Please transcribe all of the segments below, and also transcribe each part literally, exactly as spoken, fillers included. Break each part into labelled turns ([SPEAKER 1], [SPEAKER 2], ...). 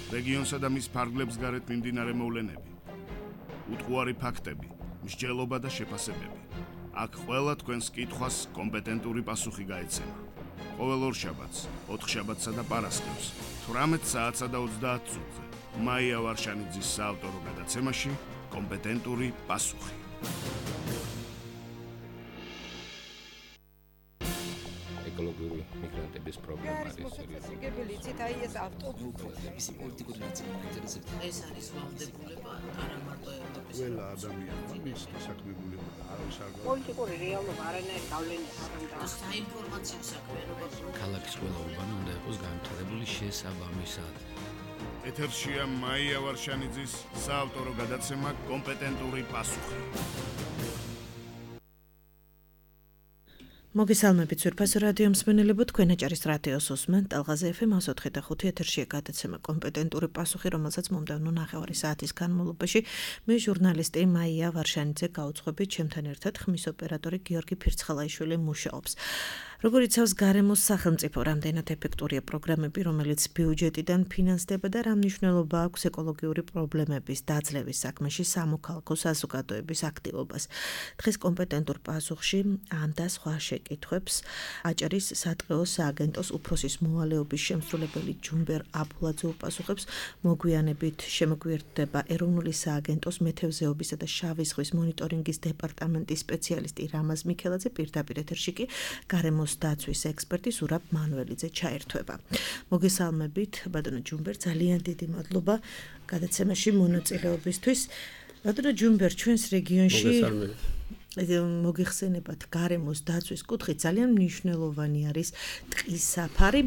[SPEAKER 1] რეგიონსა და მის ფარგლებს გარეთ მიმდინარე მოვლენები, უტყუარი ფაქტები, მსჯელობა და შეფასებები. აქ ყველა თქვენს კითხვას კომპეტენტური პასუხი გაეცემა. ყოველ ორშაბათს, ოთხშაბათსა და პარასკევს, თვრამეტ საათსა და ოცდაათ წუთზე, მაია ვარშანიძის საავტორო გადაცემაში კომპეტენტური პასუხი.
[SPEAKER 2] ეკოლოგიური მიგრანტების პრობლემა არის
[SPEAKER 3] მოსაცილებელი იცით აი ეს ავტობუსების
[SPEAKER 4] პოლიტიკური ნაწილი მაინტერესებს.
[SPEAKER 5] ეს არის ვალდებულება არა მარტო ევროპის
[SPEAKER 6] ყველა ადამიანმა მისთა საქმებულება არის არ
[SPEAKER 3] პოლიტიკური რეალობა არანაირი გავლენა არ აქვს.
[SPEAKER 5] საინფორმაციო საქმიანობა
[SPEAKER 4] ქალაქის ყველა უბანი უნდა იყოს განვითარებული შესაბამისად.
[SPEAKER 1] ეთერშია მაია ვარშანიძის საავტორო გადაცემა კომპეტენტური პასუხი.
[SPEAKER 7] მოგესალმებით ძვირფასო რადიო მსმენელებო, თქვენ აჭარის რადიოს უსმენთ ტალღაზე ეფ ემ ოცი და ხუთი ეთერშია გადაცემა კომპეტენტური პასუხი, რომელსაც მომდევნო ნახევარი საათის განმავლობაში მე ჟურნალისტი მაია ვარშანიძე გავუძღვებით, ჩემთან ერთად ხმის ოპერატორი გიორგი ფირცხალაიშვილი მუშაობს. როგორც იცავს გარემოს სახელმწიფო, რამდენად ეფექტურია პროგრამები, რომელიც ბიუჯეტიდან ფინანსდება და რა მნიშვნელობა აქვს ეკოლოგიური პრობლემების დაძლევის საქმეში სამოქალაქო საზოგადოების აქტივობას. დღეს კომპეტენტურ პასუხში ამ და სხვა შეკითხვებს აჭარის სატყეო სააგენტოს უფროსის მოვალეობის შემსრულებელი ჯუმბერ აბულაძე უპასუხებს. მოგვიანებით შემოგვიერთდება ეროვნული სააგენტოს მეთევზეობისა და შავი ზღვის მონიტორინგის დეპარტამენტის სპეციალისტი რამაზ მიქელაძე, პირდაპირ ეთერში კი გარემოს დაცვის ექსპერტი ზურაბ მანუელიძე ჩაერთვება. მოგესალმებით, ბატონო ჯუმბერ, ძალიან დიდი მადლობა გადაცემაში მონაწილეობისთვის. ბატონო ჯუმბერ, ჩვენს რეგიონში მოგიხსენებათ გარემოს დაცვის კუთხით ძალიან მნიშვნელოვანი არის ტყის საფარი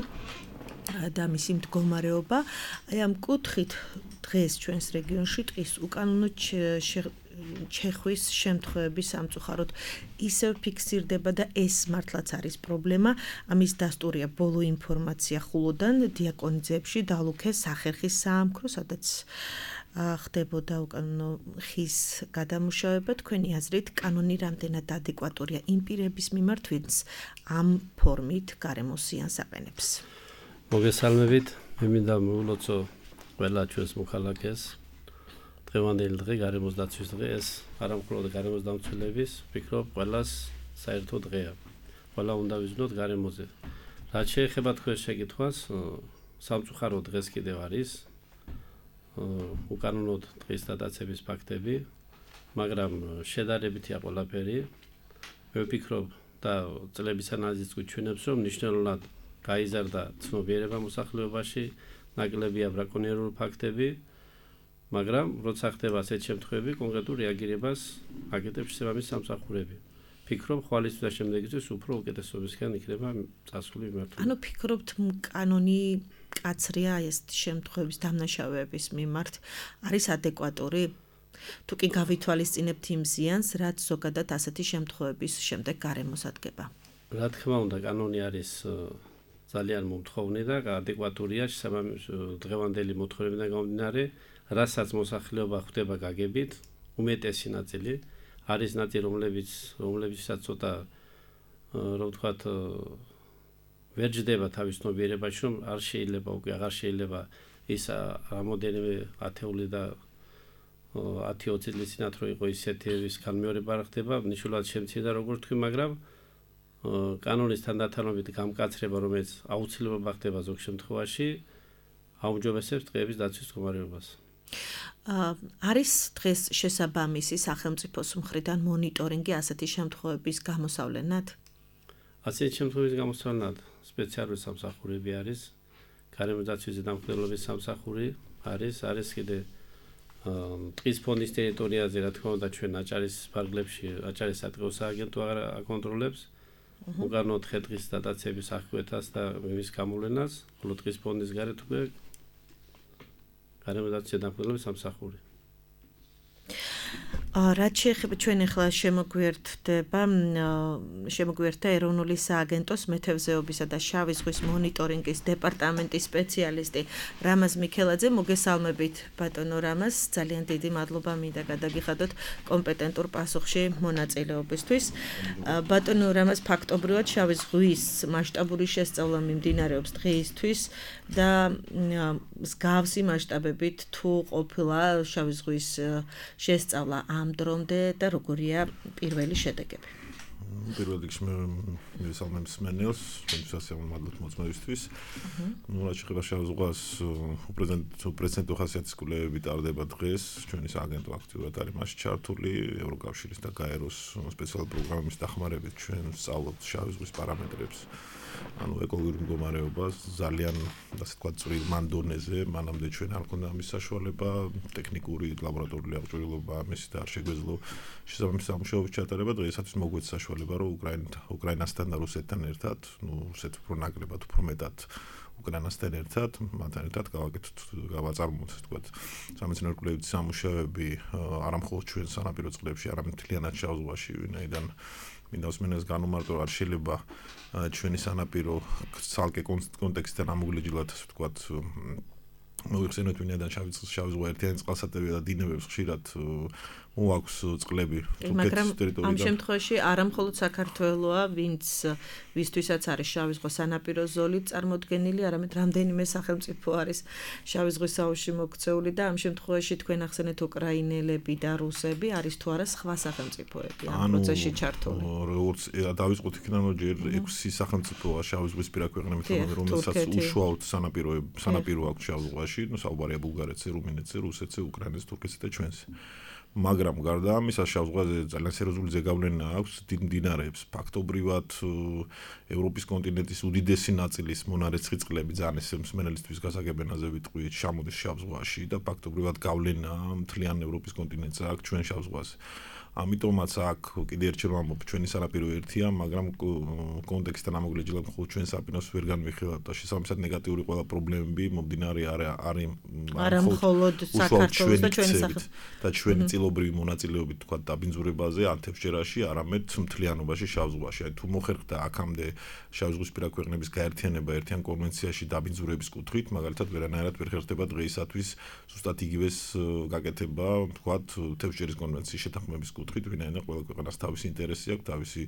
[SPEAKER 7] და მისი მდგომარეობა. აი ამ კუთხით დღეს ჩვენს რეგიონში ტყის უკანონო ჩეხვის შემთხვევები სამწუხაროდ ისევ ფიქსირდება და ეს მართლაც არის პრობლემა. ამის დასტურია ბოლო ინფორმაცია ხულოდან დიაკონიძეებში დალუქეს სახერხის საამქრო, სადაც ხდებოდა უკანონო ხის გადამუშავება. თქვენი აზრით კანონი რამდენად ადეკვატურია იმ პირების მიმართ, ვინც ამ ფორმით გარემოს ზიანს აყენებს?
[SPEAKER 8] მოგესალმებით, მე მინდა მოვულოცო ყველა ჩვენს მოქალაქეს. დღევანდელი დღე გარემოს დაცვის დღე, ეს არა მხოლოდ გარემოს დამცველების, ვფიქრობ ყველას საერთო დღეა. ყველა უნდა ვიზნოთ გარემოზე. რაც შეეხება თქვენს შეკითხვას, სამწუხარო დღეს კიდევ არის უკანონოდ ტყის დადაცების ფაქტები, მაგრამ შედარებითია ყველაფერი. მე ვფიქრობ და წლების ანალიზით გვიჩვენებს, რომ მნიშვნელოვნად გაიზარდა ცნობიერება მოსახლეობაში, ნაკლებია ბრაკონიერული ფაქტები, მაგრამ როცა ხდება ასეთ შემთხვევები, კონკრეტულ რეაგირებას აკეთებს შესაბამის სამსახურები. ფიქრობ, ხვალისთვის და შემდეგისთვის უფრო უკეთესობისკენ იქნება წასული მიმართულება.
[SPEAKER 7] ანუ ფიქრობთ, კანონი კაცრია ეს შემთხვევების დამნაშავეების მიმართ არის ადეკვატური? თუ კი გავითვალისწინებთ იმ ზიანს, რაც ზოგადად ასეთი შემთხვევების შემდეგ გარემოს ადგება?
[SPEAKER 8] რა თქმა უნდა, კანონი არის ძალიან მომთხოვნი და ადეკვატურია შესაბამის დღევანდელი მოთხოვნებიდან გამომდინარე, რასაც მოსახლეობა ხვდება გაგებით, უმეტესი ნაწილი არის ნაწილი, რომლებიც რომლებიცაც ცოტა რომ ვთქვათ ვერ ჯდება თავის ცნობიერებაში, რომ არ შეიძლება უკვე აღარ შეიძლება ის რამოდენიმე ათეული და ათი ოცი წლის წინათ რო იყო ისეთი ის განმეორება არ ხდება, მნიშვნელოვნად შემცირდა როგორც თქვი, მაგრამ კანონის თანდათანობით გამკაცრება, რომელიც აუცილებლობა ხდება ზოგ შემთხვევაში, აუმჯობესებს ტყეების დაცვის მდგომარეობას.
[SPEAKER 7] არის დღეს შესაბამისი სახელმწიფოს მხრიდან მონიტორინგი ასეთი შემთხვევების გამოსავლენად?
[SPEAKER 8] ასეთი შემთხვევების გამოსავლენად სპეციალური სამსახურები არის, გარემოს დაცვის ზედამხედველობის სამსახური არის, არის კიდე ტყის ფონდის ტერიტორიაზე, რა თქმა უნდა, ჩვენ აჭარის ფარგლებში, აჭარის სატყეო სააგენტო აკონტროლებს უკანონოდ ხე-ტყის დატაცების აღკვეთას და მის გამოვლენას, ხოლო ტყის ფონდის გარეთ უკვე გარემოს დაცვის ზედამხედველობის სამსახური.
[SPEAKER 7] რაც შეეხება ჩვენ ახლა შემოგვიერთდება შემოგვიერთდა ეროვნული სააგენტოს მეთევზეობისა და შავი ზღვის მონიტორინგის დეპარტამენტის სპეციალისტი რამაზ მიქელაძე. მოგესალმებით ბატონო რამაზ, ძალიან დიდი მადლობა მინდა გადაგიხადოთ კომპეტენტურ პასუხში მონაწილეობისთვის. ბატონო რამაზ, ფაქტობრივად შავი ზღვის მასშტაბური შესწავლა მიმდინარეობს დღეისთვის და მსგავსი მასშტაბებით თუ ყოფილა შავი ზღვის შესწავლა ამ დრომდე და როგორია პირველი შედეგები?
[SPEAKER 9] პირველ რიგში მე მივესალმებ მსმენელს, ჩვენთვის მადლობთ მოწმობისთვის. ნუ რაც შეეხება შავ ზღვას, უპრეცედენტო ხასიათის კვლევები ტარდება დღეს, ჩვენი სააგენტო აქტიურად არის მასში ჩართული, ევროკავშირის და გაეროს სპეციალური პროგრამის დახმარებით ჩვენ ვსწავლობთ შავი ზღვის პარამეტრებს. ანუ ეკოლოგიური მდგომარეობას ძალიან ასე ვთქვათ წვრილ მანდონეზე, მანამდე ჩვენ არ ქონდა ამის საშუალება, ტექნიკური ლაბორატორიული აღჭურვილობა ამის და არ შეგვეძლო შესაბამისი სამუშაოების ჩატარება. დღეისათვის მოგვეც საშუალება, რომ უკრაინასთან და რუსეთთან ერთად, ну, რუსეთ უფრო ნაკლებად, უფრო მეტად უკრაინასთან ერთად, მათთან ერთად გავაკეთოთ, გავაწარმოოთ, ასე ვთქვათ, სამეცნიერო კვლევითი სამუშაოები არა მხოლოდ ჩვენ სანაპირო წყლებში, არამედ მთლიანად შავ ზღვაში, ვინაიდან მინდა მსმენელს განუმარტო, არ შეიძლება ჩვენი სანაპირო ცალკე კონტექსტთან ამოგვიჯილოთ, ასე ვთქვათ, მოიხსენოთ ვინაიდან შავი ზღვა ერთიანი წყალსატევია და დინებებს ხშირად მოაქვს წყლები
[SPEAKER 7] მაგრამ ამ შემთხვევაში არა მხოლოდ საქართველოა, ვინც ვისთვისაც არის შავი ზღვა სანაპირო ზოლით წარმოდგენილი, არამედ რამდენიმე სახელმწიფო არის შავი ზღვის აუზში მოქცეული და ამ შემთხვევაში თქვენ ახსენეთ უკრაინელები და რუსები არის თუ არა სხვა სახელმწიფოები ამ პროცესში ჩართული.
[SPEAKER 9] როგორც დავიწყოთ იქიდან, რომ ჯერ ექვსი სახელმწიფოა შავი ზღვის პირა ქვეყნებთან, რომელსაც უშუალოდ სანაპირო სანაპირო აქვს შავ ზღვაში, ну საუბარია ბულგარეთზე, რუმინეთზე, რუსეთზე, უკრაინაზე, თურქეთზე და ჩვენზე. მაგრამ გარდა ამისა შავ ზღვაზე ძალიან სერიოზული ზეგავლენა აქვს დიდ მდინარეებს. ფაქტობრივად ევროპის კონტინენტის უდიდესი ნაწილის მონარეცხი წყლები ძალიან ესე მსმენელისთვის გასაგებენაზე ვიტყვი ჩამოდის შავ ზღვაში და ფაქტობრივად გავლენა მთლიან ევროპის კონტინენტზე აქვს ჩვენ შავ ზღვაზე. ამიტომაც აქ კიდე ერთხელ ვამბობ, ჩვენი სანაპირო ერთია, მაგრამ კონტექსტთან ამოგვიჯილოთ მხოლოდ ჩვენ სანაპიროს ვერ განვიხილავთ და შესაბამისად ნეგატიური ყველა პრობლემები მომდინარე არის
[SPEAKER 7] არა მხოლოდ საქართველოს და ჩვენი სახელმწიფო
[SPEAKER 9] და ჩვენი წილობრივი მონაწილეობით თქვა დაბინძურებაზე ანთებსჭერაში, არამედ მთლიანობაში შავ ზღვაში. აი თუ მოხერხდა აქამდე შავ ზღვის პირა ქვეყნების გაერთიანება ერთიან კონვენციაში დაბინძურების კუთხით, მაგალითად ვერანაირად ვერ ხერხდება დღეისათვის ზუსტად იგივეს გაკეთება, თქვა თევზჭერის კონვენციის შეთანხმების კუთხით, ვინაიდან ყველა ქვეყანას თავისი ინტერესი აქვს, თავისი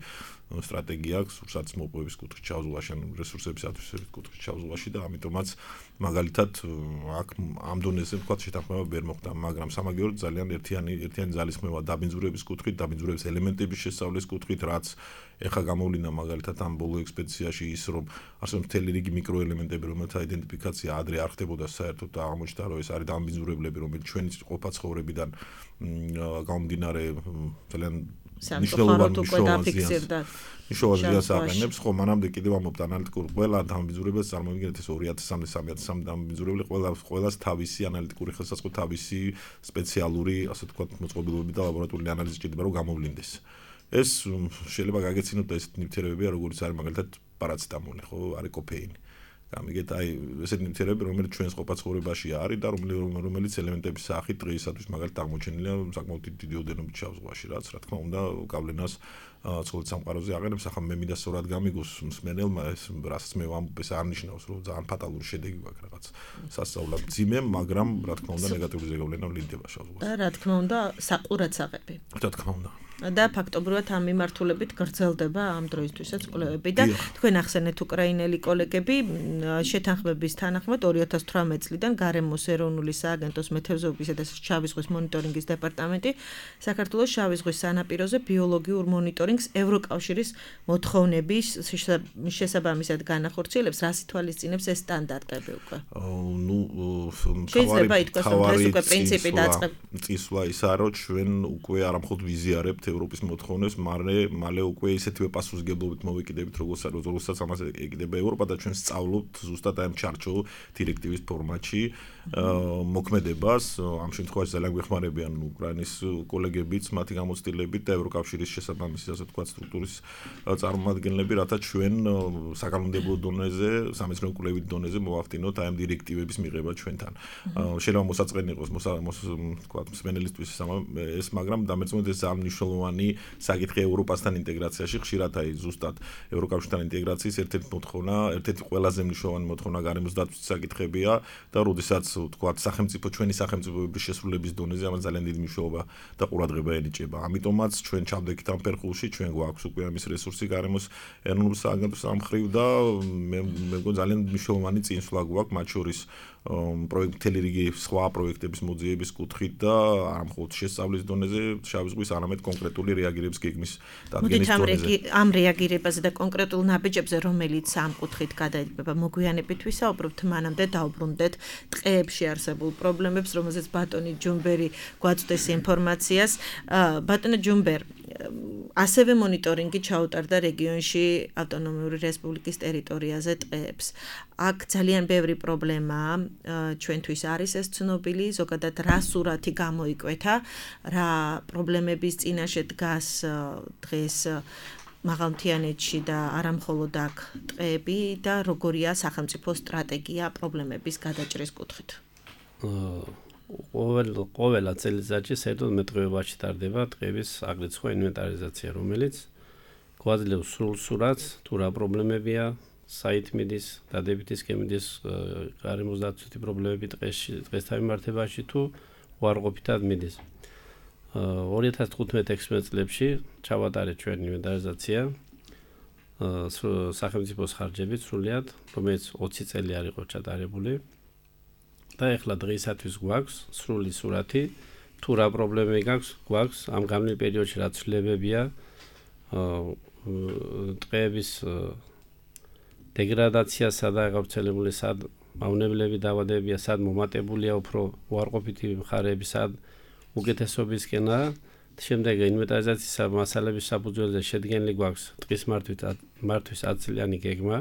[SPEAKER 9] სტრატეგია აქვს, სურსათის მოპოვების კუთხით შავ ზღვაში, ან რესურსების ათვისების კუთხით შავ ზღვაში და ამიტომაც მაგალითად აქ ამ დონეზე თქვა შეთანხმება ვერ მოხდა, მაგრამ სამაგიეროდ ძალიან ერთიანი ერთიანი ძალისხმევა დაბინძურების კუთხით, დაბინძურების ელემენტების შესწავლის კუთხით, რაც ეხა გამოვლინდა მაგალითად ამ ბოლო ექსპედიციაში ის, რომ არსებობს მთელი რიგი მიკროელემენტები, რომელთა იდენტიფიკაცია ადრე არ ხდებოდა საერთოდ და აღმოჩნდა, რომ ეს არის დაბინძურებლები, რომელიც ჩვენი ყოფა ცხოვრებიდან გამომდინარე ძალიან მნიშვნელოვანი მნიშვნელოვანი აღენებს, ხო, მანამდე კიდევ ამობთ ანალიტიკურ ყველა დაბინძურებას წარმოიდგინეთ ეს ორი ათასამდე სამი ათასამდე დაბინძურებელი ყველა ყველას თავისი ანალიტიკური ხელსაწყო, თავისი სპეციალური, ასე ვთქვათ, მოწყობილობები და ლაბორატორიული ანალიზი ჭირდება, რომ გამოვლინდეს. ეს შეიძლება გაგეცინოთ და ესეთი ნივთიერებებია, როგორც არის მაგალითად პარაცეტამოლი, ხო, არის კოფეინი. გამიგეთ, აი ესეთი ნივთიერებები, რომელიც ჩვენს ყოფა ცხოვრებაში არის და რომელიც ელემენტების სახით დღეისათვის მაგალითად აღმოჩენილია საკმაოდ დიდი ოდენობით შავ ზღვაში, რაც რა თქმა უნდა გავლენას ცხოველის სამყაროზე აღენებს. ახლა მე მინდა სწორად გამიგოს მსმენელმა ეს რასაც მე ვამბობ, ეს არ ნიშნავს, რომ ძალიან ფატალური შედეგი გვაქვს რაღაც სასწაულად ძიმე, მაგრამ რა თქმა უნდა ნეგატიური ზეგავლენა ვლინდება შავ ზღვაში.
[SPEAKER 7] და რა თქმა უნდა საყურადსაღები.
[SPEAKER 9] რა თქმა უნდა.
[SPEAKER 7] და ფაქტობრივად ამ მიმართულებით გრძელდება ამ დროისთვისაც კვლევები და თქვენ ახსენეთ უკრაინელი კოლეგები შეთანხმების თანახმად ორი ათას თვრამეტი წლიდან გარემოს ეროვნული სააგენტოს მეთევზეობისა და შავი ზღვის მონიტორინგის დეპარტამენტი საქართველოს შავი ზღვის სანაპიროზე ბიოლოგიურ მონიტორინგს ევროკავშირის მოთხოვნების შესაბამისად განახორციელებს, რას ითვალისწინებს ეს სტანდარტები უკვე?
[SPEAKER 9] ნუ
[SPEAKER 7] შეიძლება ითქვას, რომ ეს უკვე პრინციპი დაწყება.
[SPEAKER 9] წისვლა ისაა, რომ ჩვენ უკვე არ მხოლოდ ვიზიარებთ ევროპის მოთხოვნებს, მალე მალე უკვე ისეთივე პასუხისგებლობით მოვიკიდებით, როგორც როგორცაც ამას ეკიდება ევროპა და ჩვენ სწავლობთ ზუსტად ამ ჩარჩო დირექტივის ფორმატში მოქმედებას. ამ შემთხვევაში ძალიან გვეხმარებიან უკრაინის კოლეგებიც, მათი გამოცდილებით და ევროკავშირის შესაბამისი, ასე ასე ვთქვათ, სტრუქტურის წარმომადგენლები, რათა ჩვენ საკანონმდებლო დონეზე, სამეცნიერო კვლევით დონეზე მოვახდინოთ აი ამ დირექტივების მიღება ჩვენთან. შეიძლება მოსაწყენი იყოს, ვთქვათ, მსმენელისთვის ეს, მაგრამ დამეწმოთ ეს ძალიან მნიშვნელოვანი საკითხი ევროპასთან ინტეგრაციაში, ხშირად აი ზუსტად ევროკავშირთან ინტეგრაციის ერთ-ერთი მოთხოვნა, ერთ-ერთი ყველაზე მნიშვნელოვანი მოთხოვნა გარემოს დაცვის საკითხებია და როდესაც ვთქვათ, სახელმწიფო ჩვენი სახელმწიფოების შესრულების დონეზე ამას ძალიან დიდი მნიშვნელობა და ყურადღება ენიჭება. ამიტომაც ჩვენ ჩავდექით ამ ფერხულში, ჩვენ გვაქვს უკვე ამის რესურსი გარემოს ეროვნულ სააგენტოს ამხრივ და მე მგონი ძალიან მნიშვნელოვანი წინსვლა გვაქვს მათ შორის პროექტელი რიგი სხვა პროექტების მოძიების კუთხით და არ მხოლოდ შესწავლის დონეზე, შავი ზღვის, არამედ კონკრეტული რეაგირების გეგმის დადგენის დონეზე.
[SPEAKER 7] ამ რეაგირებაზე და კონკრეტულ ნაბიჯებზე, რომელიც ამ კუთხით გადაიჭება, მოგვიანებით ვისაუბრებთ, მანამდე დავბრუნდეთ ტყეებში არსებულ პრობლემებს, რომელზეც ბატონი ჯუმბერი გვაწვდეს ინფორმაციას. ბატონო ჯუმბერ, ასევე მონიტორინგი ჩაუტარდა რეგიონში ავტონომიური რესპუბლიკის ტერიტორიაზე ტყეებს. აქ ძალიან ბევრი პრობლემაა, ჩვენთვის არის ეს ცნობილი, ზოგადად რა სურათი გამოიკვეთა, რა პრობლემების წინაშე დგას დღეს მაღალმთიანეთში და არა მხოლოდ აქ ტყეები და როგორია სახელმწიფო სტრატეგია პრობლემების გადაჭრის კუთხით.
[SPEAKER 8] ყოველ ყოველა წელიწადში საერთოდ მეტყევებაში ტარდება ტყეების აგრეთვე სხვა ინვენტარიზაცია, რომელიც გვაძლევს სრულ სურათს, თუ რა პრობლემებია, საით მიდის, დადებითი სქემის გარემოს დაცვითი პრობლემები ტყეში, ტყესთან მიმართებაში თუ უარყოფითად მიდის. ორი ათას თხუთმეტ ექვსმეტ წლებში ჩავატარეთ ჩვენ ინვენტარიზაცია სახელმწიფოს ხარჯებით სრულიად, რომელიც ოცი წელი არ იყო ჩატარებული. და ეხლა დღეისათვის გვაქვს სრული სურათი, თუ რა პრობლემები გაქვს, გვაქვს ამ გამნილ პერიოდში რა ცვლილებებია, ტყეების დეგრადაციასა და გავრცელებული სად მავნებლები დაავადებებია, სად მომატებულია უფრო უარყოფითი მხარეები, სად უკეთესობისკენა. შემდეგ ინვენტარიზაციის მასალების საფუძველზე შედგენილი გვაქვს ტყის მართვის ათი წლიანი გეგმა,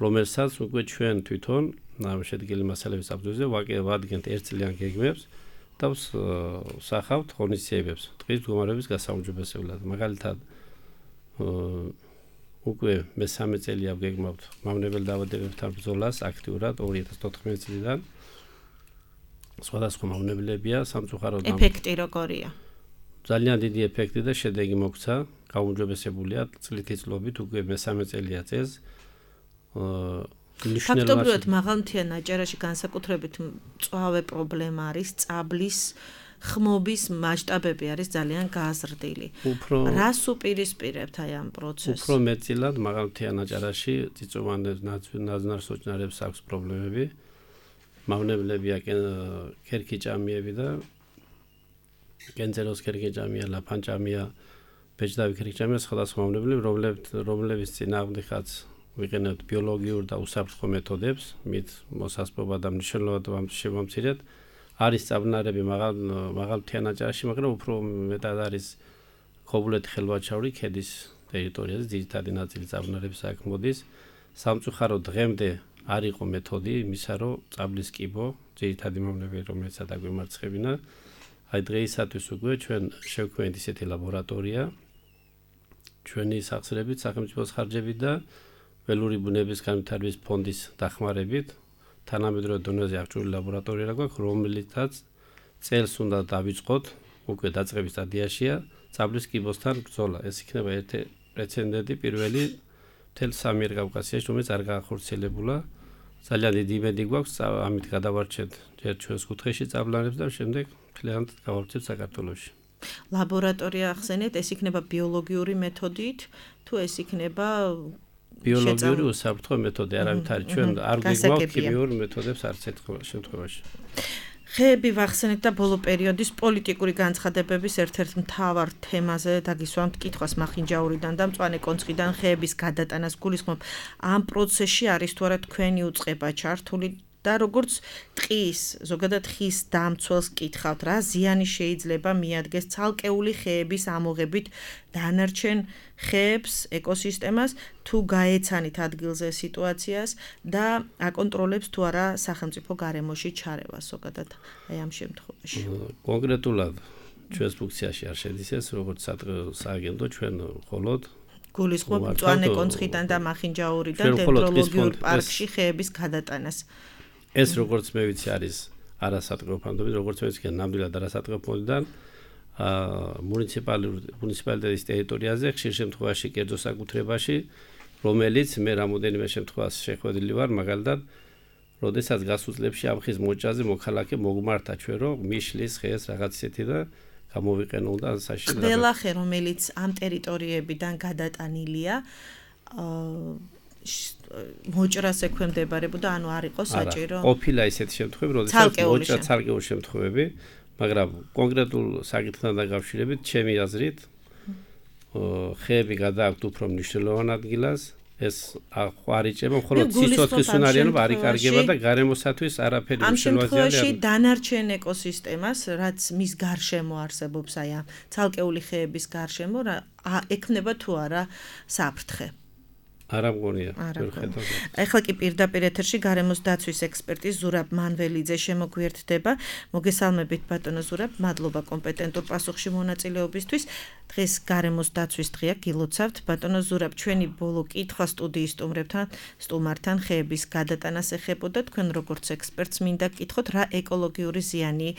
[SPEAKER 8] რომელსაც უკვე ჩვენ თვითონ ამ შედგენილი მასალების საფუძველზე ვადგენთ ერთ წლიან გეგმებს და ვსახავთ ღონისძიებებს ტყის მდგომარეობის გასაუმჯობესებლად. მაგალითად, უკვე მესამე წელია ვგეგმავთ მავნებელ დაავადებებთან ბრძოლას აქტიურად ორი ათას თოთხმეტი წლიდან. სხვადასხვა მავნებლებია სამწუხაროდ.
[SPEAKER 7] ეფექტი როგორია?
[SPEAKER 8] ძალიან დიდი ეფექტი და შედეგი მოგვცა, გაუმჯობესებულია წლითი წლობით, უკვე მესამე წელია წელს.
[SPEAKER 7] ფაქტობრივად მაღალმთიან აჭარაში განსაკუთრებით მწვავე პრობლემა არის წაბლის ხმობის მასშტაბები არის ძალიან გაზრდილი. რას უპირისპირებთ აი ამ პროცესს?
[SPEAKER 8] უფრო მეტწილად მაღალმთიან აჭარაში წიწვოვანებს ნაძვნარ სოჭნარებს აქვს პრობლემები. მავნებლებია ქერქიჭამიები და კენწეროს ქერქიჭამია, ლაფანჭამია, ბეჭდავი ქერქიჭამია, სხვადასხვა მავნებლები, რომლებიც წინააღმდეგაც ვიყენებთ ბიოლოგიურ და უსაფრთხო მეთოდებს, მით მოსასპობა და მნიშვნელოვნად შევამცირეთ. არის წაბნარები მაღალმთიან აჭარაში, მაგრამ უფრო მეტად არის ქობულეთი ხელვაჩაური ქედის ტერიტორიაზე, ძირითადი ნაწილი წაბნარების აქ მოდის. სამწუხაროდ დღემდე არ იყო მეთოდი იმისა, რომ წაბლის კიბო, ძირითადი მავნებები, რომელსაც აგვემარცხებინა. აი დღეისათვის უკვე ჩვენ შევქმნით ისეთი ლაბორატორია ჩვენი სახსრებით, სახელმწიფოს ხარჯებით და ველური ბუნების განვითარების ფონდის დახმარებით თანამედროვე დონეზე აღჭურვილი ლაბორატორია გვაქვს, რომელიცაც წელს უნდა დავიწყოთ, უკვე დაწყების სტადიაშია, წაბლის კიბოსთან ბრძოლა. ეს იქნება ერთი პრეცედენტი, პირველი მთელ სამიერკავკასიაში, რომელიც არ გაახორციელებულა. ძალიან დიდი იმედი გვაქვს, ამით გადავარჩეთ ჯერ ჩვენს კუთხეში წაბლანებს და შემდეგ მთლიანად გავარჩევთ საქართველოში.
[SPEAKER 7] ლაბორატორია ახსენეთ, ეს იქნება ბიოლოგიური მეთოდით, თუ ეს იქნება
[SPEAKER 8] ბიოლოგიური უსაფრთხო მეთოდი, არავით არის ჩვენ არ გვიგვაქვს ქიმიურ მეთოდებს არც ერთ შემთხვევაში.
[SPEAKER 7] ხეები ვახსენეთ და ბოლო პერიოდის პოლიტიკური განცხადებების ერთ-ერთ მთავარ თემაზე დაგისვამთ კითხვას მახინჯაურიდან და მწვანე კონცხიდან ხეების გადატანას გულისხმობ. ამ პროცესში არის თუ არა თქვენი უწყება ჩართული და როგორც ტყის, ზოგადად ხის დამცველს კითხავთ, რა ზიანი შეიძლება მიადგეს ცალკეული ხეების ამოღებით დანარჩენ ხეებს, ეკოსისტემას, თუ გაეცანით ადგილზე სიტუაციას და აკონტროლებს თუ არა სახელმწიფო გარემოში ჩარევას, ზოგადად აი ამ შემთხვევაში.
[SPEAKER 8] კონკრეტულად ჩვენს ფუნქციაში არ შედის ეს, როგორც სააგენტო ჩვენ მხოლოდ
[SPEAKER 7] გულისხმობ მწვანე კონცხიდან და მახინჯაურიდან დენდროლოგიურ პარკში ხეების გადატანას.
[SPEAKER 8] ეს როგორც მე ვიცი არის არასატყეო ფონდები, როგორც მე ვიცი ნამდვილად არასატყეო ფონდიდან მუნიციპალიტეტის ტერიტორიაზე ხშირ შემთხვევაში კერძო საკუთრებაში, რომელიც მე რამოდენიმე შემთხვევაში შეხვედრილი ვარ, მაგალითად, როდესაც გასულ წლებში ამ ხის მოჭაზე მოქალაქე მოგმართა ჩვენ რომ მიშლის ხეს რაღაც ისეთი და გამოვიყენო და საშინლად.
[SPEAKER 7] ყველა ხე რომელიც ამ ტერიტორიებიდან გადატანილია მოჭრას ექვემდებარებოდა, ანუ არ იყო საჭირო.
[SPEAKER 8] ყოფილა ისეთი შემთხვევები, როდესაც მოჭრა ცალკეული შემთხვევები, მაგრამ კონკრეტულ საკითხთან დაკავშირებით, ჩემი აზრით, ხეები გადააქვთ უფრო მნიშვნელოვან ადგილას, ეს არ იჭება, მხოლოდ სიცოცხლის უნარიანობა არ იკარგება და გარემოსათვის არაფერი
[SPEAKER 7] ამ შემთხვევაში დანარჩენ ეკოსისტემას, რაც მის გარშემო არსებობს, აი ამ ცალკეული ხეების გარშემო, ექნება თუ არა საფრთხე.
[SPEAKER 8] არა მგონია.
[SPEAKER 7] ეხლა კი პირდაპირ ეთერში გარემოს დაცვის ექსპერტი ზურაბ მანველიძე შემოგვიერთდება. მოგესალმებით ბატონო ზურაბ, მადლობა კომპეტენტურ პასუხში მონაწილეობისთვის. დღეს გარემოს დაცვის დღეა, გილოცავთ. ბატონო ზურაბ, ჩვენი ბოლო კითხვა სტუდიის სტუმრებთან, სტუმართან ხეების გადატანას ეხებოდა. თქვენ როგორც ექსპერტს მინდა გკითხოთ, რა ეკოლოგიური ზიანი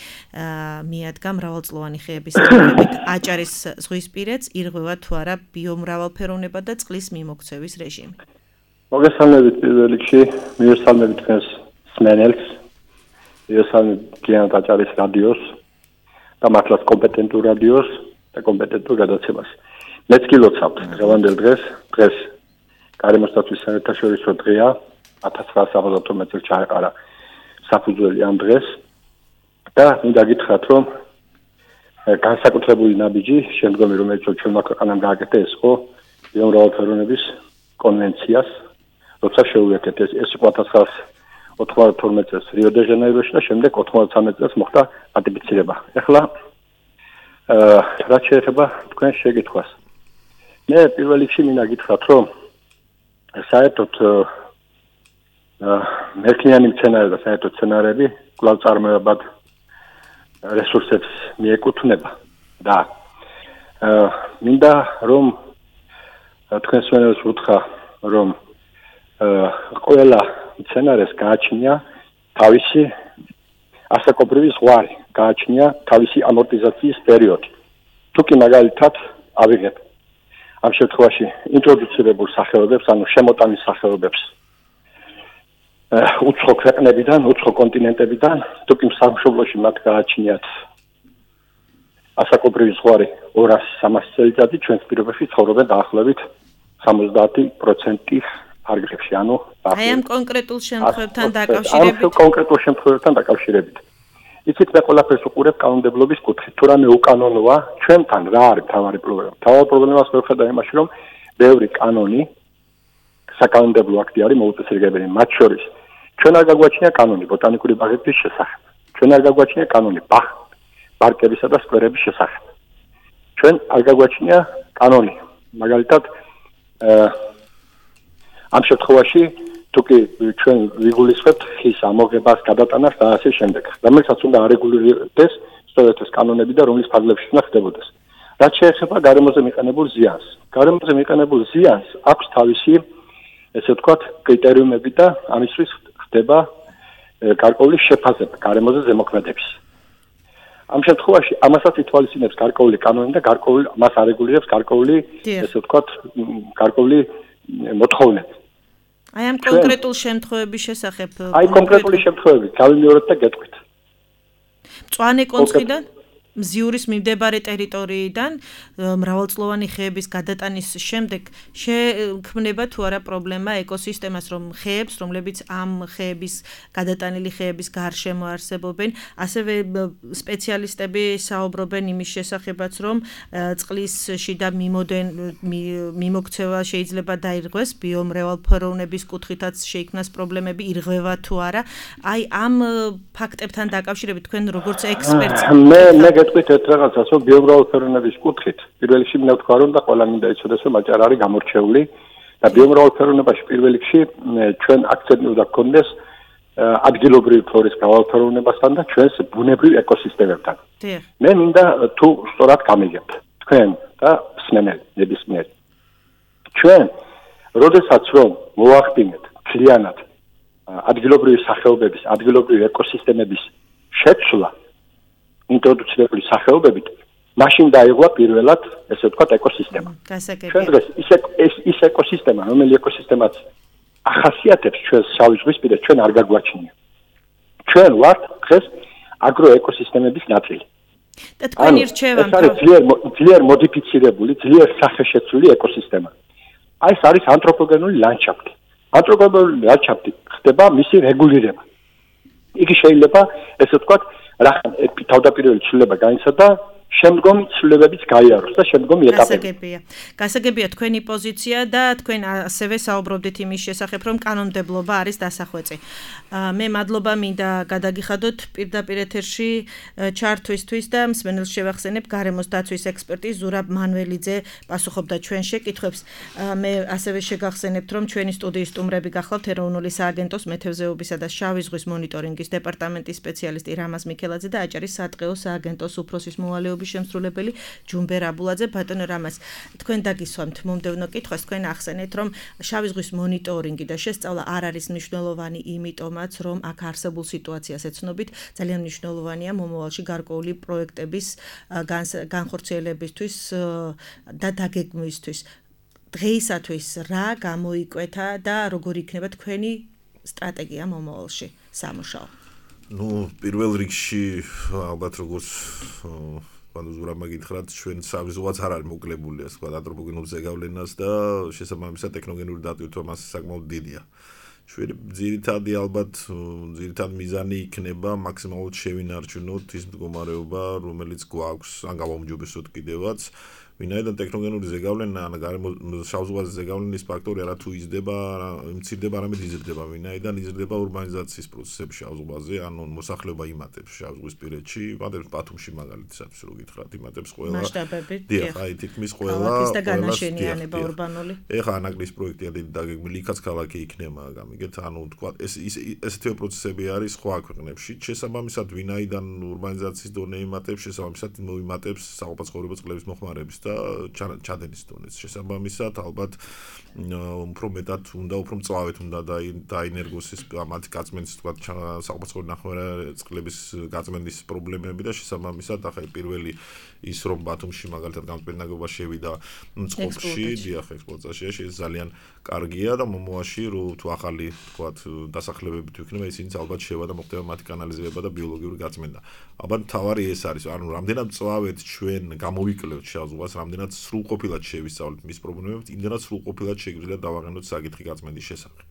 [SPEAKER 7] მიადგა მრავალწლოვანი ხეების აღებით აჭარის ზღვისპირეთს, ირღვევა თუ არა ბიომრავალფეროვნება და წყლის მიმოქცევის რეჟიმი.
[SPEAKER 10] მოგესალმებით პირველ რიგში, მივესალმებით თქვენს მსმენელს, მივესალმებით გიანთ აჭარის რადიოს და მართლაც კომპეტენტურ რადიოს და კომპეტენტურ გადაცემას. მეც გილოცავთ დღევანდელ დღეს, დღეს გარემოს დაცვის საერთაშორისო დღეა, ათას ცხრაასა წელს ჩაეყარა საფუძველი ამ დღეს და მინდა გითხრათ, რომ განსაკუთრებული ნაბიჯი, შემდგომი რომელიც ჩვენმა ქვეყანამ გააკეთა, ეს იყო ბიომრავალფეროვნების კონვენციას, როცა შეუერთეთ ეს ეს იყო ათას ცხრაასა ოცდათორმეტ წელს რიო-დე-ჟანეიროში და შემდეგ ოცდაათმეტ წელს მოხდა რატიფიცირება. ეხლა რაც შეეხება თქვენ შეკითხვას. მე პირველ რიგში მინდა გითხრათ, რომ საერთოდ მერქნიანი მცენარე და საერთოდ მცენარეები კვლავ წარმოებად რესურსებს მიეკუთვნება და მინდა რომ თქვენს მენელს უთხრა, რომ ყველა მცენარეს გააჩნია თავისი ასაკობრივი ზღვარი, გააჩნია თავისი ამორტიზაციის პერიოდი. თუ კი მაგალითად ავიღებ ამ შემთხვევაში ინტროდუცირებულ სახეობებს, ანუ შემოტანის სახეობებს უცხო ქვეყნებიდან, უცხო კონტინენტებიდან, თუ კი სამშობლოში მათ გააჩნიათ ასაკობრივი ზღვარი ორასი სამასი წელიწადი, ჩვენს პირობებში ცხოვრობენ დაახლოებით სამოცდაათი პროცენტი ფარგლებში, ანუ
[SPEAKER 7] აი ამ კონკრეტულ შემთხვევებთან დაკავშირებით.
[SPEAKER 10] ამ კონკრეტულ შემთხვევებთან დაკავშირებით. იცით, მე ყველაფერს უყურებ კანონმდებლობის კუთხით. თუ რამე უკანონოა, ჩვენთან რა არის მთავარი პრობლემა? მთავარი პრობლემას მივხვდა იმაში, რომ ბევრი კანონი, საკანონმდებლო აქტი არის მოუწესრიგებელი. მათ შორის ჩვენ არ გაგვაჩნია კანონი ბოტანიკური ბაღების შესახებ. ჩვენ არ გაგვაჩნია კანონი ბაღ, პარკებისა და სკვერების შესახებ. ჩვენ არ გაგვაჩნია კანონი, მაგალითად ამ შემთხვევაში თუ კი ჩვენ ვიგულისხმებთ ხის ამოღებას, გადატანას და ასე შემდეგ. რომელსაც უნდა არეგულირდეს სწორედ ეს კანონები და რომლის ფარგლებში უნდა ხდებოდეს. რაც შეეხება გარემოზე მიყენებულ ზიანს. გარემოზე მიყენებულ ზიანს აქვს თავისი, ესე ვთქვათ, კრიტერიუმები და ამისთვის ხდება გარკვეული შეფასება გარემოზე ზემოქმედების. ამ შემთხვევაში ამასაც ითვალისწინებს გარკვეული კანონი და გარკვეული მას არეგულირებს გარკვეული, ესე ვთქვათ, გარკვეული მოთხოვნები.
[SPEAKER 7] აი ამ კონკრეტულ შემთხვევების შესახებ
[SPEAKER 10] აი კონკრეტული შემთხვევები გავიმეორებთ და გეტყვით.
[SPEAKER 7] მწვანე კონცხიდან მზიურის მიმდებარე ტერიტორიიდან მრავალწლოვანი ხეების გადატანის შემდეგ შექმნება თუ არა პრობლემა ეკოსისტემას, რომ ხეებს, რომლებიც ამ ხეების გადატანილი ხეების გარშემო არსებობენ, ასევე სპეციალისტები საუბრობენ იმის შესახებაც, რომ წყლის შიდა მიმოდენ მიმოქცევა შეიძლება დაირღვეს, ბიომრავალფეროვნების კუთხითაც შეიქმნას პრობლემები, ირღვევა თუ არა. აი ამ ფაქტებთან დაკავშირებით თქვენ როგორც ექსპერტი
[SPEAKER 10] მე გეტყვით ერთ რაღაცას, რომ ბიომრავალფეროვნების კუთხით პირველ რიგში მინდა ვთქვა, რომ და ყველა მინდა იცოდეს, რომ აჭარა არის გამორჩეული და ბიომრავალფეროვნებაში პირველ რიგში ჩვენ აქცენტი უნდა გქონდეს ადგილობრივი ფლორის გავალფეროვნებასთან და ჩვენს ბუნებრივ ეკოსისტემებთან.
[SPEAKER 7] დიახ.
[SPEAKER 10] მე მინდა თუ სწორად გამიგებთ თქვენ და მსმენელი ნებისმიერი. ჩვენ როდესაც რომ მოახდინეთ ძალიანად ადგილობრივი სახეობების, ადგილობრივი ეკოსისტემების შეცვლა ინტროდუცირებული სახეობებით, მაშინ დაიღვა პირველად, ესე ვთქვათ, ეკოსისტემა.
[SPEAKER 7] გასაგებია.
[SPEAKER 10] ჩვენ დღეს ის ეს ის ეკოსისტემა, რომელიც ეკოსისტემაც ახასიათებს ჩვენს შავი ზღვისპირას, ჩვენ არ გაგვაჩნია. ჩვენ ვართ დღეს აგროეკოსისტემების ნაწილი.
[SPEAKER 7] და თქვენი რჩევა
[SPEAKER 10] ეს არის ძლიერ ძლიერ მოდიფიცირებული, ძლიერ სახეშეცვლილი ეკოსისტემა. აი ეს არის ანთროპოგენური ლანდშაფტი. ანთროპოგენური ლანდშაფტი ხდება მისი რეგულირება. იგი შეიძლება, ესე ვთქვათ, რახან თავდაპირველი ცვლილება გაიცადა, შემდგომი ცვლილებებიც გაიაროს და შემდგომი ეტაპები.
[SPEAKER 7] გასაგებია. გასაგებია თქვენი პოზიცია და თქვენ ასევე საუბრობდით იმის შესახებ, რომ კანონმდებლობა არის დასახვეწი. მე მადლობა მინდა გადაგიხადოთ პირდაპირ ეთერში ჩართვისთვის და მსმენელს შევახსენებ გარემოს დაცვის ექსპერტი ზურაბ მანველიძე პასუხობდა ჩვენ შეკითხვებს. მე ასევე შეგახსენებთ, რომ ჩვენი სტუდიის სტუმრები გახლავთ ეროვნული სააგენტოს მეთევზეობისა და შავი ზღვის მონიტორინგის დეპარტამენტის სპეციალისტი რამაზ მიქელაძე და აჭარის სატყეო სააგენტოს უფროსის მოვალეობის შემსრულებელი ჯუმბერ აბულაძე. ბატონო რამაზ, თქვენ დაგისვამთ მომდევნო კითხვას, თქვენ ახსენეთ, რომ შავი ზღვის მონიტორინგი და შესწავლა არ არის მნიშვნელოვანი იმიტომაც, რომ აქ არსებულ სიტუაციას ეცნობით, ძალიან მნიშვნელოვანია მომავალში გარკვეული პროექტების განხორციელებისთვის და დაგეგმვისთვის. დღეისათვის რა გამოიკვეთა და როგორ იქნება თქვენი სტრატეგია მომავალში სამუშაო?
[SPEAKER 9] ნუ პირველ რიგში ალბათ როგორც ანუ ზურაბმა გითხრათ, ჩვენ შავი ზღვაც არ არის მოკლებული, ასე ვთქვათ, ანთროპოგენურ ზეგავლენას და შესაბამისად ტექნოგენური დატვირთვა მასზე საკმაოდ დიდია. ჩვენ ძირითადი ალბათ ძირითადი მიზანი იქნება მაქსიმალურად შევინარჩუნოთ ის მდგომარეობა, რომელიც გვაქვს, ან გავაუმჯობესოთ კიდევაც. ვინაიდან ტექნოგენური ზეგავლენა, ან შავ ზღვაზე ზეგავლენის ფაქტორი არა თუ იზრდება, მცირდება, არამედ იზრდება, ვინაიდან იზრდება ურბანიზაციის პროცესები შავ ზღვაზე, ანუ მოსახლეობა იმატებს შავ ზღვისპირეთში, იმატებს ბათუმში მაგალითად, რო გითხრათ, იმატებს ყველა.
[SPEAKER 7] მასშტაბებით,
[SPEAKER 9] დიახ, აი თითქმის ყველა.
[SPEAKER 7] ქალაქის და განაშენიანება ურბანული.
[SPEAKER 9] ეხლა ანაკლის პროექტია დიდი დაგეგმილი, იქაც ქალაქი იქნება, გამიგეთ, ანუ თქვა ეს ესეთივე პროცესები არის სხვა ქვეყნებში. შესაბამისად, ვინაიდან ურბანიზაციის დონე იმატებს, შესაბამისად მოიმატებს საყოფაცხოვრებო წყლების მოხმარების და ჩადენის დონეს. შესაბამისად, ალბათ უფრო მეტად უნდა, უფრო მწვავედ უნდა დაინერგოს ეს მათი გაწმენდის, თქვა საყოფაცხოვრებო ნახევარად წყლების გაწმენდის პრობლემები და შესაბამისად, ახლა პირველი ის რომ ბათუმში მაგალითად გამწმენდაგობა შევიდა წყობში, დიახ, ექსპლუატაციაში, ეს ძალიან კარგია და მომავალში რო თუ ახალი, თქვა, დასახლებები თუ იქნება, ისინიც ალბათ შევა და მოხდება მათი კანალიზება და ბიოლოგიური გაწმენდა. ალბათ მთავარი ეს არის, ანუ რამდენად მწვავედ ჩვენ გამოვიკლევთ შავ ზღვას, რამდენად სრულყოფილად შევისწავლეთ მის პრობლემებს, იმდენად სრულყოფილად შეგვიძლია დავაყენოთ საკითხი გაწმენდის შესახებ.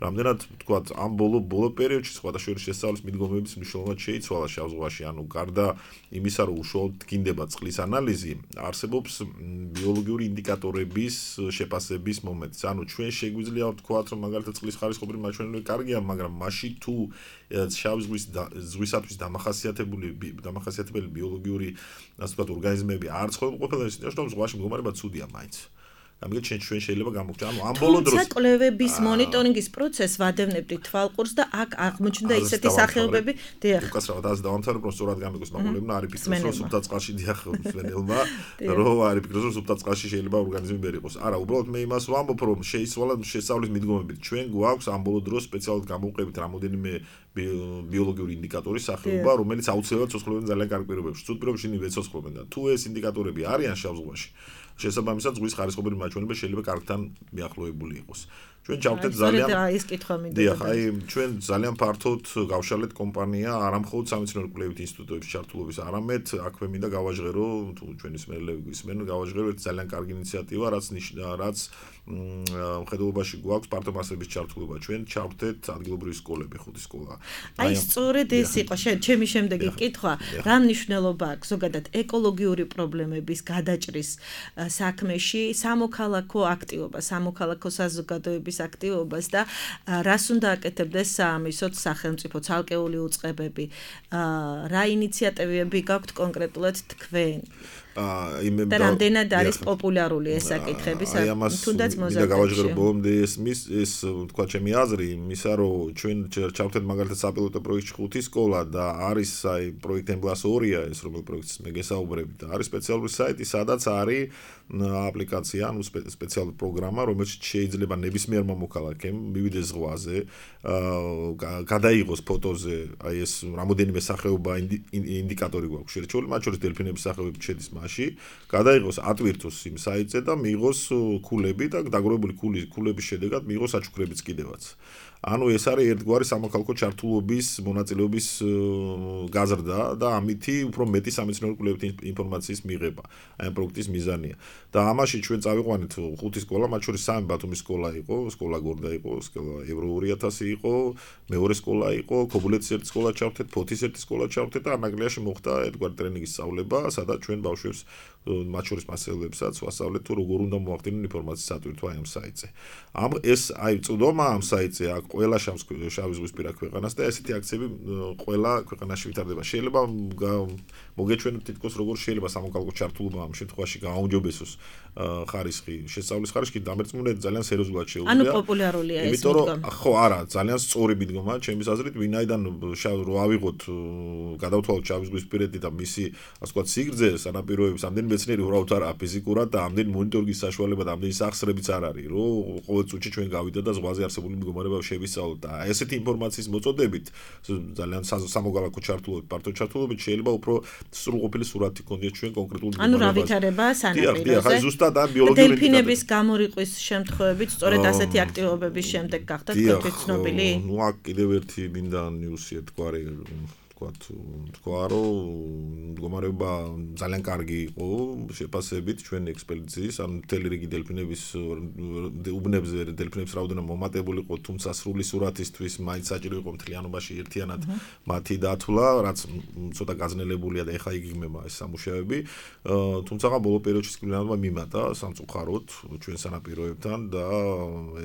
[SPEAKER 9] რამდენად ვთქვათ, ამ ბოლო ბოლო პერიოდში სხვადასხვა შესწავლის მიდგომების მნიშვნელობა შეიცვალა შავ ზღვაში, ანუ გარდა იმისა, რომ უშუალოდ დგინდება წყლის ანალიზი, არსებობს ბიოლოგიური ინდიკატორების შეფასების მომენტიც. ანუ ჩვენ შეგვიძლია ვთქვათ, რომ მაგალითად წყლის ხარისხობრივი მაჩვენებლები კარგია, მაგრამ მაშინ თუ შავ ზღვის ზღვისათვის დამახასიათებული დამახასიათებელი ბიოლოგიური, ასე ვთქვათ, ორგანიზმები არ ცხოვრობენ ყოფილად, ისინი ზღვაში მდგომარეობა ცუდია მაინც. ამიტომ ჩვენ შეიძლება გამოვხდეთ. ანუ ამ ბოლო დროს
[SPEAKER 7] კვლევების მონიტორინგის პროცესს ვადევნებდით თვალყურს და აქ აღმოჩნდა ისეთი სახეობები, დიახ.
[SPEAKER 9] უკაცრავად ასე დავამთავრებ, რომ სწორად გამიგოს მაყურებელმა, არის ფიქრობს, რომ სუფთა წყალში დიახ, მსმენელმა, რომ არის ფიქრობს, რომ სუფთა წყალში შეიძლება ორგანიზმი ვერ იყოს. არა, უბრალოდ მე იმას ვამბობ, რომ შეიცვალა შესწავლის მიდგომებით. ჩვენ გვაქვს ამ ბოლო დროს სპეციალურად გამოვყებით რამოდენიმე ბიოლოგიური ინდიკატორი სახეობა, რომელიც აუცილებლად ცოცხლობენ ძალიან კარგ პირობებში. ცუდ პირობებში ვეცოცხლობენ და თუ ეს ინდიკატორები არიან შავ ზღვაში, შესაბამისად ზღვის ხარისხობრივი მაჩვენებლები შეიძლება კარგთან მიახლოებული იყოს. ჩვენ ჩავთეთ ძალიან
[SPEAKER 7] ის კითხვა მინდა.
[SPEAKER 9] დიახ, აი ჩვენ ძალიან ფართოდ გავშალეთ კომპანია, არა მხოლოდ სამეცნიერო კვლევით ინსტიტუტების ჩართულობის, არამედ აქვე მინდა გავაჟღერო, თუ ჩვენი მსმენელები ისმენ, გავაჟღერო ეს ძალიან კარგი ინიციატივა, რაც რაც მხედველობაში გვაქვს ფართო მასების ჩართულობა. ჩვენ ჩავთეთ ადგილობრივი სკოლები, ხუთი სკოლა.
[SPEAKER 7] აი სწორედ ეს იყო ჩემი შემდეგი კითხვა, რა მნიშვნელობა აქვს ზოგადად ეკოლოგიური პრობლემების გადაჭრის საქმეში სამოქალაქო აქტივობა, სამოქალაქო საზოგადოების აქტივობას და რას უნდა აკეთებდეს საამისოდ სახელმწიფო ცალკეული უწყებები, რა ინიციატივები გაქვთ კონკრეტულად თქვენ?
[SPEAKER 9] იმ
[SPEAKER 7] და რამდენად არის პოპულარული ეს საკითხები, თუნდაც მოზარდებში.
[SPEAKER 9] და გავაჟღერო ბოლომდე ეს მის ეს თქვა ჩემი აზრი, იმისა რომ ჩვენ ჩავთეთ მაგალითად საპილოტო პროექტში ხუთი სკოლა და არის აი პროექტ ემბლას ორია ეს რომელ პროექტს მე გესაუბრები და არის სპეციალური საიტი, სადაც არის აპლიკაცია, ანუ სპეციალური პროგრამა, რომელიც შეიძლება ნებისმიერ მოქალაქემ მივიდეს ზღვაზე, გადაიღოს ფოტოზე აი ეს რამოდენიმე სახეობა ინდიკატორი გვაქვს შერჩეული, მათ შორის დელფინების სახეობები შედის მასში, გადაიღოს ატვირთოს იმ საიტზე და მიიღოს ქულები და დაგროვებული ქულების შედეგად მიიღოს საჩუქრებიც კიდევაც. ანუ ეს არის ერთგვარი სამოქალაქო ჩართულობის მონაწილეობის გაზრდა და ამითი უფრო მეტი სამეცნიერო კვლევით ინფორმაციის მიღება. აი ამ პროექტის მიზანია. და ამაში ჩვენ წავიყვანეთ ხუთი სკოლა, მათ შორის სამი ბათუმის სკოლა იყო, სკოლა გორდა იყო, სკოლა ევრო ორი ათასი იყო, მეორე სკოლა იყო, ქობულეთის ერთი სკოლა ჩავთეთ, ფოთის ერთი სკოლა ჩავთეთ და ანაგლიაში მოხდა ერთგვარი ტრენინგის სწავლება, სადაც ჩვენ ბავშვებს მათ შორის მასწავლებლებსაც ვასწავლეთ თუ როგორ უნდა მოახდინონ ინფორმაციის ატვირთვა ამ საიტზე. ამ ეს აი წვდომა ამ საიტზე აქ ყველა შავი ზღვისპირა ქვეყანას და ესეთი აქციები ყველა ქვეყანაში ვითარდება. შეიძლება მოგეჩვენოთ თითქოს როგორ შეიძლება სამოქალაქო ჩართულობა ამ შემთხვევაში გააუმჯობესოს ხარისხი, შესწავლის ხარისხი დამერწმუნებით ძალიან სერიოზულად შეუძლია.
[SPEAKER 7] ანუ პოპულარულია ეს მიდგომა.
[SPEAKER 9] ხო, არა, ძალიან სწორი მიდგომა, ჩემის აზრით, ვინაიდან რო ავიღოთ გადავთვალოთ შავი ზღვისპირეთი და მისი, ასე ვთქვათ, სიგრძე, სანაპიროების, ამდენი მეცნიერი უბრალოდ არა ფიზიკურად და ამდენი მონიტორინგის საშუალება და ამდენი სახსრებიც არ არის, რომ ყოველ წუთში ჩვენ გავიდეთ და ზღვაზე არსებული მდგომარეობა შევისწავლოთ და ესეთი ინფორმაციის მოწოდებით ძალიან სამოქალაქო ჩართულობით, პარტო ჩართულობით შეიძლება უფრო სრულყოფილი სურათი გქონდეს ჩვენ კონკრეტულ
[SPEAKER 7] ანუ რა ვითარება სანაპიროზე.
[SPEAKER 9] დიახ, ხა ზუსტად ამ ბიოლოგიური
[SPEAKER 7] დელფინების გამორიყვის შემთხვევებით სწორედ ასეთი აქტივობების შემდეგ გახდა თქვენთვის ცნობილი?
[SPEAKER 9] ნუ აქ კიდევ ერთი მინდა ნიუსი ერთგვარი თქვა რომ მდგომარეობა ძალიან კარგი იყო შეფასებით ჩვენი ექსპედიციის, ანუ მთელი რიგი დელფინების უბნებზე დელფინების რაოდენობა მომატებული იყო, თუმცა სრული სურათისთვის მაინც საჭირო იყო მთლიანობაში ერთიანად მათი დათვლა, რაც ცოტა გაძნელებულია და ეხა იგეგმება ეს სამუშაოები. თუმცა ბოლო პერიოდში სკვლელიანობა მიმატა სამწუხაროდ ჩვენ სანაპიროებთან და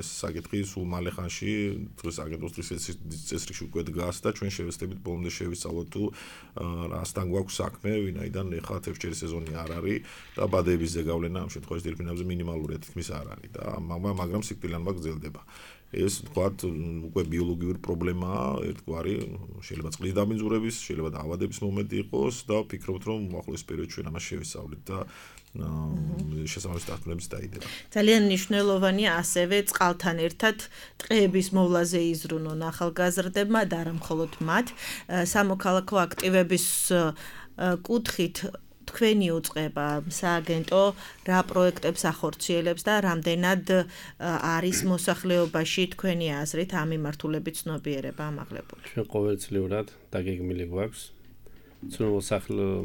[SPEAKER 9] ეს საკითხი სულ მალე ხანში დღეს აგენტოს წესრიგში უკვე დგას და ჩვენ შევეცდებით ბოლომდე შევისწავლოთ თუ რასთან გვაქვს საქმე, ვინაიდან ეხლა თევზჭერის სეზონი არ არის და ბადეების ზეგავლენა ამ შემთხვევაში დელფინებზე მინიმალურია თითქმის არ არის და მაგრამ სიკვდილიანობა გრძელდება. ეს თქვათ უკვე ბიოლოგიური პრობლემაა, ერთგვარი შეიძლება წყლის დამინძურების, შეიძლება დაავადების მომენტი იყოს და ვფიქრობთ რომ უახლოეს პერიოდში ჩვენ ამას შევისწავლეთ და შესაბამის დათმობებს დაიდება.
[SPEAKER 7] ძალიან მნიშვნელოვანია ასევე წყალთან ერთად ტყეების მოვლაზე იზრუნონ ახალგაზრდებმა და არა მხოლოდ მათ. სამოქალაქო აქტივების კუთხით თქვენი უწყება სააგენტო რა პროექტებს ახორციელებს და რამდენად არის მოსახლეობაში თქვენი აზრით ამ მიმართულებით ცნობიერება ამაღლებული?
[SPEAKER 8] ჩვენ ყოველწლიურად დაგეგმილი გვაქვს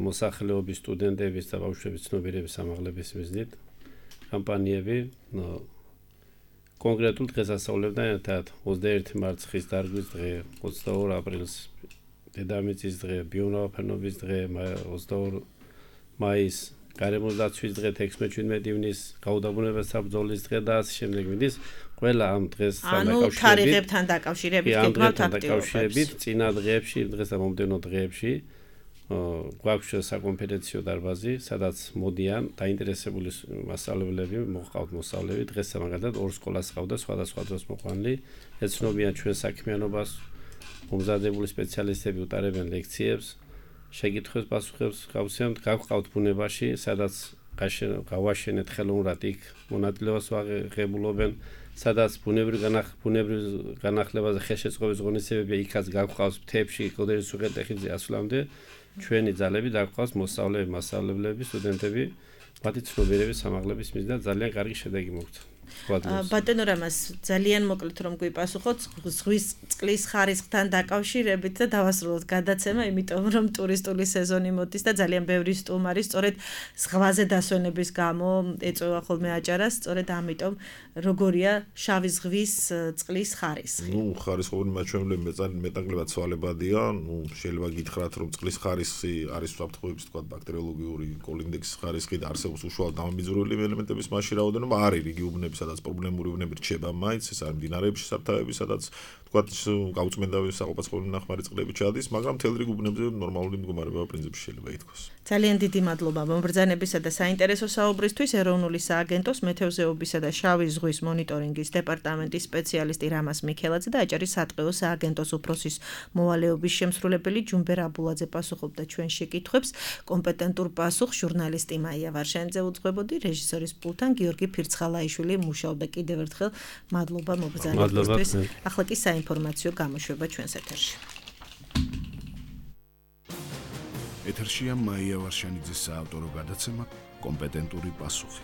[SPEAKER 8] მოსახლეობის სტუდენტების და ბავშვების ცნობიერების ამაღლების მიზნით კამპანიები კონკრეტულ დღესასწაულებთან ერთად ოცდაერთი მარტს ხის დარგვის დღე, ოცდაორი აპრილს დედამიწის დღე, ბიომრავალფეროვნების დღე, ოცდაორი მაის გარემოს დაცვის დღე, ექვსმეტ-შვიდმეტ ივნის გაუდაბნოებასთან ბრძოლის დღე და ასე შემდეგ მიდის ყველა ამ დღესთან
[SPEAKER 7] დაკავშირებით. ანუ თარიღებთან დაკავშირებით გეკმავთ
[SPEAKER 8] აქტივობებს. წინა დღეებში, დღეს და მომდევნო დღეებში გვაქვს საკონფერენციო დარბაზი, სადაც მოდიან დაინტერესებული მასწავლებლები, მოყავთ მოსწავლეები, დღეს მაგალითად ორ სკოლას ყავდა სხვადასხვა დროს მოყვანილი, ეცნობიან ჩვენ საქმიანობას, მომზადებული სპეციალისტები უტარებენ ლექციებს, შეკითხვებს პასუხებს გავცემთ, გავყავთ ბუნებაში, სადაც გავაშენეთ ხელოვნურად იქ მონაწილეობას ვაღებულობენ, სადაც ბუნებრივ განახლებაზე ხელშეწყობის ღონისძიებებია, იქაც გავყავს მთებში, კოდერის უღელტეხილზე ასვლამდე ჩვენი ძალები დაგყავს მოსწავლეები, მასწავლებლები, სტუდენტები, მათი ცნობიერების ამაღლების მიზნად ძალიან კარგი შედეგი მოგვთ.
[SPEAKER 7] ბატონო რამას ძალიან მოკლედ რომ გვიპასუხოთ ზღვის წყლის ხარისხთან დაკავშირებით და დავასრულოთ გადაცემა, იმიტომ რომ ტურისტული სეზონი მოდის და ძალიან ბევრი სტუმარი სწორედ ზღვაზე დასვენების გამო ეწევა ხოლმე აჭარას, სწორედ ამიტომ როგორია შავი ზღვის წყლის ხარისხი?
[SPEAKER 9] ნუ ხარისხობრივი მაჩვენებლები მეტნაკლებად ცვალებადია, ნუ შეიძლება გითხრათ რომ წყლის ხარისხი არის საფრთხეების თქვა ბაქტერიოლოგიური კოლინდექსის ხარისხი და არსებობს უშუალოდ დამამიძვრელი ელემენტების მასში რაოდენობა არის რიგი უბნები, სადაც პრობლემური უბნები რჩება მაინც, ეს არის მდინარეებში, სათავეები, სადაც თქვათ გაუწმენდავი საყოფაცხოვრო ნახმარი წყლები ჩადის, მაგრამ მთელ რიგ უბნებზე ნორმალური მდგომარეობა პრინციპში შეიძლება ითქვას.
[SPEAKER 7] ძალიან დიდი მადლობა მომბრძანებისა და საინტერესო საუბრისთვის ეროვნული სააგენტოს მეთევზეობისა და შავი ზღვის მონიტორინგის დეპარტამენტის სპეციალისტი რამაზ მიქელაძე და აჭარის სატყეო სააგენტოს უფროსის მოვალეობის შემსრულებელი ჯუმბერ აბულაძე პასუხობდა ჩვენ შეკითხვებს. კომპეტენტურ პასუხს ჟურნალისტი მაია ვარშანიძე უძღვებოდი, რეჟისორის პულტთან გიორგი ფირცხალაიშვილი მუშაობდა. კიდევ ერთხელ მადლობა მომბრძანებისთვის. ახლა კი საინფორმაციო გამოშვება ჩვენს ეთერში.
[SPEAKER 1] ეთერშია მაია ვარშანიძის საავტორო გადაცემა კომპეტენტური პასუხი.